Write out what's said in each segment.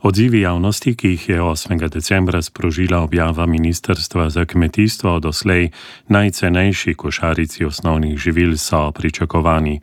Odzivi javnosti, ki jih je 8. decembra sprožila objava Ministrstva za kmetijstvo o doslej najcenejši košarici osnovnih živil, so pričakovani.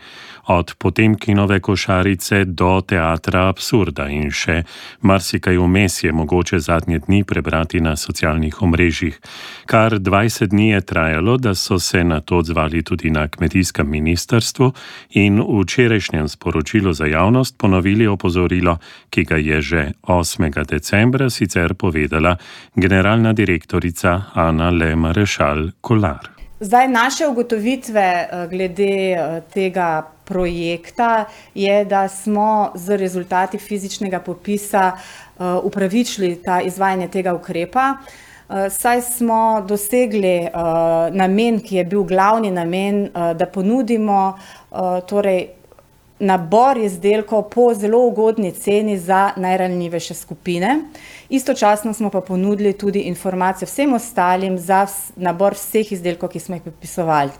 Od Potemkinove košarice do teatra absurda in še marsikaj vmes je mogoče zadnje dni prebrati na socialnih omrežjih. Kar 20 dni je trajalo, da so se na to odzvali tudi na kmetijskem ministrstvu in v včerajšnjem sporočilu za javnost ponovili opozorilo, ki ga je že 8. decembra sicer povedala generalna direktorica Ana Le Marešal Kolar. Zdaj, naše ugotovitve glede tega projekta je, da smo z rezultati fizičnega popisa upravičili ta izvajanje tega ukrepa. Saj smo dosegli namen, ki je bil glavni namen, da ponudimo nabor izdelkov po zelo ugodni ceni za najranljivejše skupine. Istočasno smo pa ponudili tudi informacije vsem ostalim za nabor vseh izdelkov, ki smo jih predpisovali.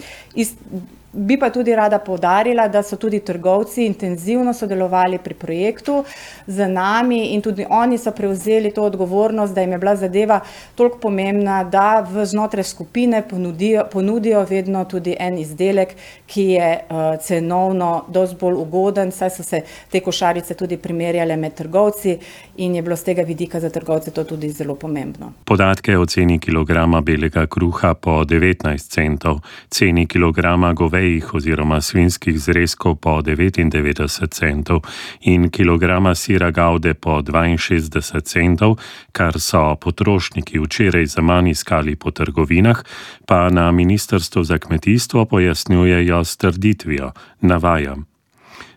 Bi pa tudi rada poudarila, da so tudi trgovci intenzivno sodelovali pri projektu z nami in tudi oni so prevzeli to odgovornost, da jim je bila zadeva toliko pomembna, da znotraj skupine ponudijo vedno tudi en izdelek, ki je cenovno dosti bolj ugoden, saj so se te košarice tudi primerjale med trgovci in je bilo z tega vidika za trgovce to tudi zelo pomembno. Podatke o ceni kilograma belega kruha po 19 centov, ceni kilograma govejih oziroma svinjskih zrezkov po 99 centov in kilograma sira gaude po 62 centov, kar so potrošniki včeraj zaman iskali po trgovinah, pa na Ministrstvu za kmetijstvo pojasnjujejo s trditvijo, navajam.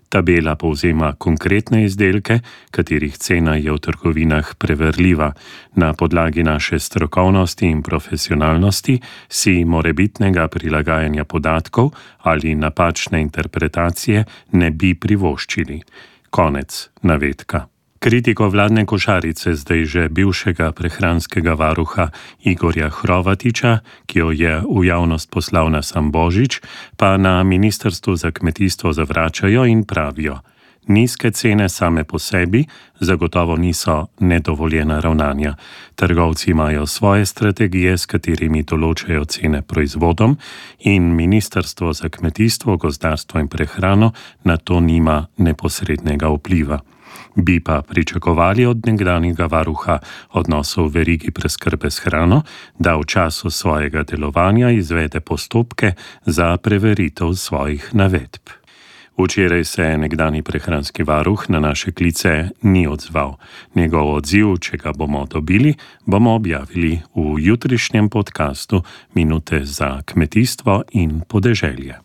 Tabela povzema konkretne izdelke, katerih cena je v trgovinah preverljiva. Na podlagi naše strokovnosti in profesionalnosti si morebitnega prilagajanja podatkov ali napačne interpretacije ne bi privoščili. Konec navedka. Kritiko vladne košarice zdaj že bivšega prehranskega varuha Igorja Hrovatiča, ki jo je v javnost poslal na sam Božič, pa na Ministrstvu za kmetijstvo zavračajo in pravijo: nizke cene same po sebi zagotovo niso nedovoljena ravnanja. Trgovci imajo svoje strategije, s katerimi določajo cene proizvodom in Ministrstvo za kmetijstvo, gozdarstvo in prehrano na to nima neposrednega vpliva. Bi pa pričakovali od nekdanjega varuha odnosov v verigi preskrbe s hrano, da v času svojega delovanja izvede postopke za preveritev svojih navedb. Včeraj se nekdanji prehranski varuh na naše klice ni odzval. Njegov odziv, če ga bomo dobili, bomo objavili v jutrišnjem podcastu Minute za kmetijstvo in podeželje.